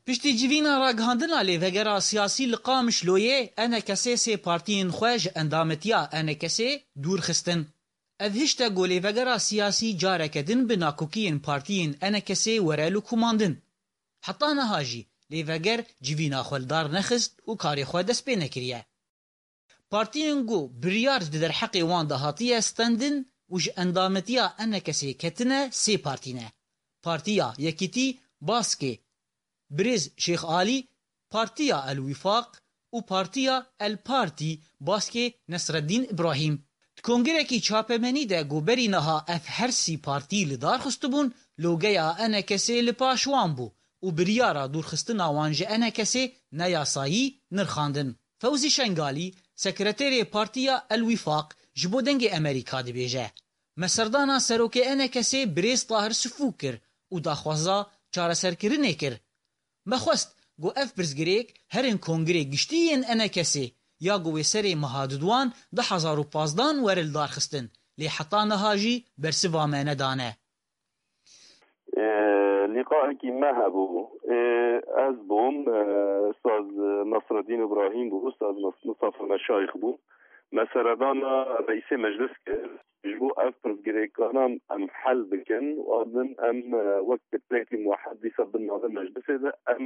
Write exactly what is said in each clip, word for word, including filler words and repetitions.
Piştî civîna ragihandina lêvegera siyasî li Qamişloyê, ENKSê sê partiyên xwe ji endametiya ENKSê dûr xistin. Ev hişt e ku lêvegera siyasî careke din bi nakokiyên partiyên ENKSê were lûkumandin. Heta niha jî lêveger civîna xwe li dar nexist û karê xwe dest pê nekiriye. Partiyên ku biryar di derheqê wan de hatiye stendin û ji endametiya ENKSê ketine sê partî ne. Partiya Yekîtî, Baskê Birêz Şêx Alî, Partiya El Wîfaq û Partiya El Partî, Baskê Nesreddîn Îbrahîm. Di kongirekî çapemenî de ku berî niha ev her sî partî li dar xistibûn, logeya ENKSê li paş wan bû û biryara dûrxistina wan ji ENKSê ne yasayî nirxandin. Fewzî Şengalî, sekreterê Partiya El Wîfaq, ji bo Dengê Emerîka dibêje, me serdana serokê ENKSê Birêz Tahir Sifû kir û daxwaza çareserkirinê kir. Me xwest ku ev pirsgirêk herin Kongirê Giştî yên ENKSê ya ku wê serê meha duduan du hezar û pazdeh were li dar xistin, lê heta niha jî bersiva me nedane. Ê, lîqaekî me hebû. Ê, ez bûm, ê, Ustaz Nasreddîn Îbrahîm bû, Ustaz Nas-, Mustafa Meşayix bû. Me seredana reîsê meclis kir. Ji bo ev pirsgirêkana em hel bikin, û din em, ê, wek pirsgirêkî muwehed dîsa bin navê meclisê de em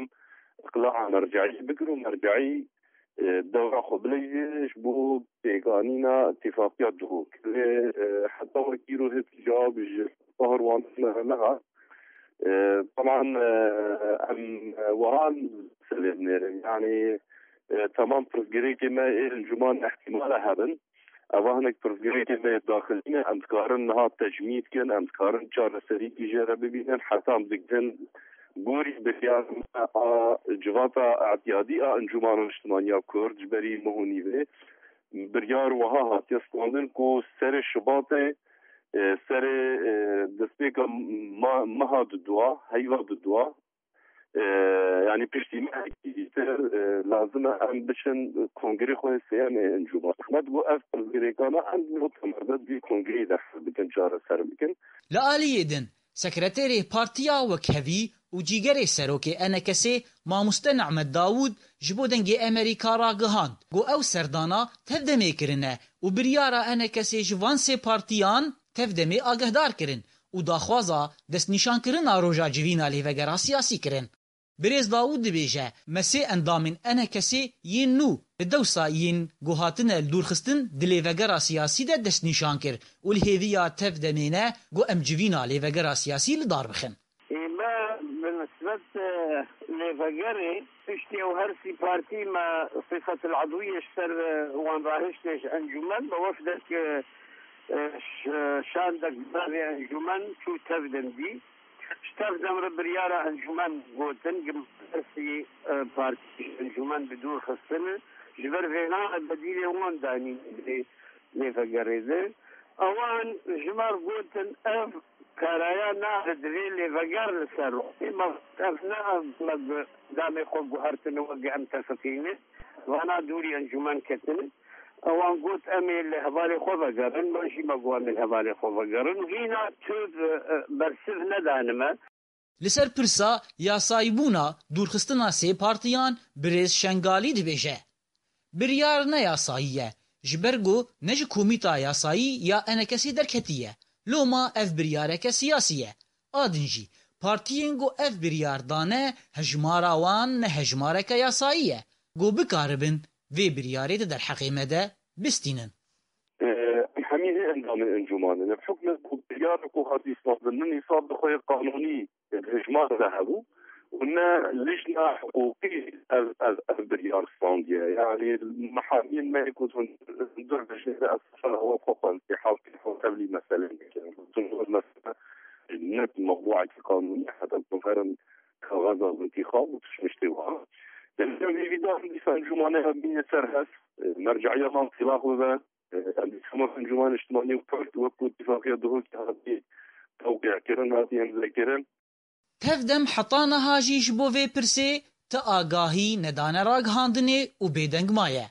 iqlaa merceiyê bikin û merceî e, dewra xwe bileyî ji bo pêkanîna îtîfaqiya Duhok. Lê, e, heta wekî îro hêt cewab ji Tahir wan me nehat. E, teman, e, em, e, wiha selê dinêrin. Yanî, e, temam pirsgirêkê me ê encûman ihtimale hebin. Eva hinek pirsgirêkê me yê daxilî ne, em dikarin niha tecmîd kin, em dikarin çareserîkî jê re bibînin, heta em digihin gorî biryar a civata etiyadî a Encûmana Niştimaniya Kurd ji berî meh û nîvê biryar wiha hatiye standin ku serê Şibatê, e, serê, e, destpêka ma-, meha dudua, heyva dudua, e, yanî piştî mehekî dîtir, e, lazim e em biçin kongrê xwe sêyem ê encûman. Hikmet bû ev pirsgirêkana em di temerde di kongreyê de hel bikin, çareser bikin. Li aliyê din, sekreterê Partiya Wekhevî û cîgerê serokê ENKSê Mamoste Nehmet Dawûd ji bo Dengê Emerîka ragihand ku ew serdana tevdemê kirine û biryara ENKSê ji van sê partiyan tevdemê agehdar kirin û daxwaza destnîşankirina roja civîna lêvegera siyasî kirin. Birêz Dawûd dibêje, me sê endamên ENKSê yên nû li dewsa yên ku hatine li dûrxistin di lêvegera siyasî de destnîşan kir û li hêviya tev demê ne ku em civîna lêvegera siyasî li dar bixin. Ê me bi nisbet, e, lêvegerê piştî ew her sî partî me sifetil edwiyê ji ser, e, wan rahiştê ji encûmen bi wefdek, e, e, ş-, şandek bi navê encûmen çû tevdem dî. Ji tev dem re biryara encûmen gotin, gimsî, e, partî ji encûmen bi dûr xistin. Ji ber vêna bedîlê wan danîn lê, lê vegerê de. Ewan ji me re gotin, ev karaya nade divê lê veger li ser rû. Ê me ev ne ev me bi damê xwe guhertine weke em tefiqîne. Vana dûrî encûmen ketine. Ewan got, "Em ê li hevalê xwe vegerin." Me jî me got, "Em ê li hevalê xwe vegerin." Û hîna tu, e, e, bersiv nedane me. Li ser pirsa yasayîbûna dûrxistina sê partiyan Birêz Şengalî dibêje, biryar ne yasayî ye, ji ber ku ne ji komîta yasayî ya ENKSê derketî ye. Loma ev biryareke siyasî ye. A din jî, partiyên ku ev biryar dane, hejmara wan ne hejmareke yasayî ye. Ku bikaribin vê biryarê di derheqê me de bistînin. Em hemî hê endamên encûmanê ne. Bi hukmê ku biryara ku hatî standin, ne nîsab bi xwe yê qanûnî di hejmar de hebû û ne lijna hiqûqî ev, ev, ev biryar standiye. Yanî, mehemîn me ku hundir dijnê de ez sefera we xwe xwendî, hewtî xwe tevlî meselê dikirin. Hundir mesele ne mewduekî qanûnî, heta ku herin kaxeza intîxab û tiştê wiha. Demê em hêvîdar in dîsa encûmanê hev bîne ser hev, merceya wan tîlax bibe. Em dîsa encûman niştimanî û kurd wekî Îtîfaqiya Duhokê hatî tewqî kirin, hatî îmze kirin. Tevdem heta niha jî ji bo vê pirsê ti agahî nedane ragihandinê û bêdeng maye.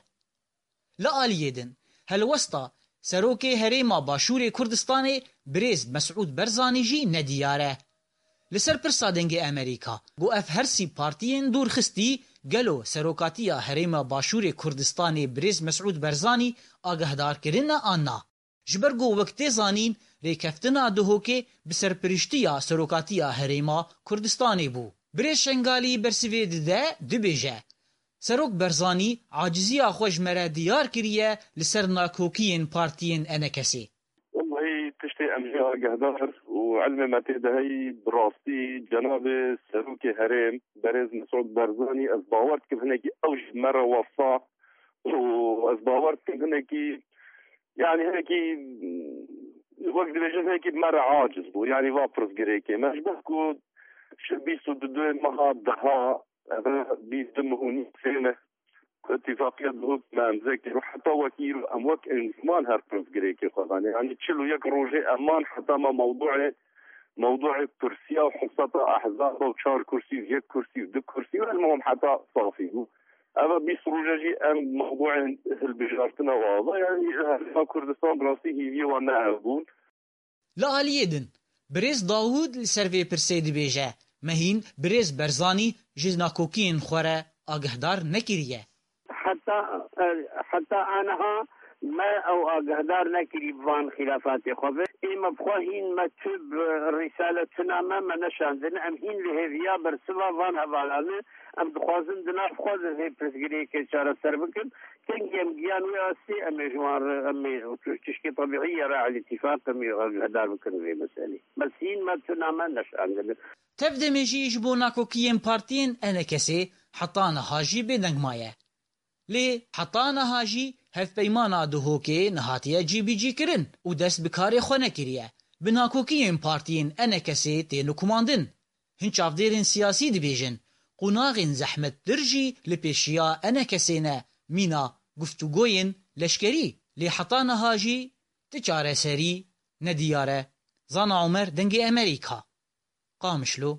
Li aliyê din, helwesta Serokê Herêma Başûrê Kurdistanê Birêz Mesûd Barzanî jî nediyar e. Li ser pirsa Dengê Amerîka, ku ev her sî partiyên dûrxistî gelo serokatiya Herêma Başûrê Kurdistanê birêz Mesûd Berzanî agehdar kirine an na? Ji ber ku wek tê zanîn, rêkeftina Duhokê bi serpiriştiya serokatiya Herêma Kurdistanê bû. Birêz Şengalî bersivê dide, dibêje, Serok Berzanî aciziya xwe ji me re diyar kiriye li ser nakokiyên partiyên E N K S'ê. Wellahî tiştê em jê agehdar û ilmê me tê de heyî bi rastî cenabê serokê herêm berêz Mesûd Berzanî ez bawer dikim hinekî ew ji me re wesa û ez bawer dikim hinekî yanî hinekî wek dibêjin hinekî bi me re aciz bû. Yanî va pirsgirêkê me ji ber ku ji bîst û du meha deha eve bîst du meh û nîv têne. Îtîfaqiya Duhok me imze kir û heta wekî îro em wek enziman her pirsgirêkê xwe danê. Yanî çil û yek rojê em man heta me mewduê, mewduê kursiya û hesata ehzaba û çar kursî û yek kursî û du kursî û elmuhim heta safî bû. Eva bîst roje jî em mewduê hilbijartina ava. Yanî Herêma Kurdistan bi rastî hîviyê wan ne ev bûn. Li aliyê din, birêz Dawûd li ser vê pirsê dibêje, me hîn birêz Berzanî ji nakokiyên xwe re agehdar nekiriye. Heta, heta aniha me ew agehdar nekirî bi van xîlafatê xwe ve. Ê me bi xwe hîn me tu bi rîsale tuna me, me neşandin. Em hîn li hêviya bersiva van hevalan e. Em dixwazin di nav xwe de vê pirsgirêkê çareser bikin. Kengî em giyan wê astê, em ê ji wan re, em ê tiştê tebîî ye re elîtîfaq em ê agehdar bikin vê meselê. Bes hîn me tuna me neşandin. Tev demê jî ji bo nakokiyên partiyên E N K S'ê heta niha jî bêdeng maye. Lê heta niha jî hevpeymana Duhokê nehatiye cîbicîkirin û dest bi karê xwe nekiriye. Bi nakokiyên partiyên E N K S'ê tê nikumandin. Hin çavdêrên siyasî dibêjin, qonaxên zehmettir jî li pêşiya E N K S'ê ne mîna guftûgoyên leşkerî. Lê heta niha jî ti çareserî nediyar e. Zana Omer, Dengê Amerîka, Qamişlo.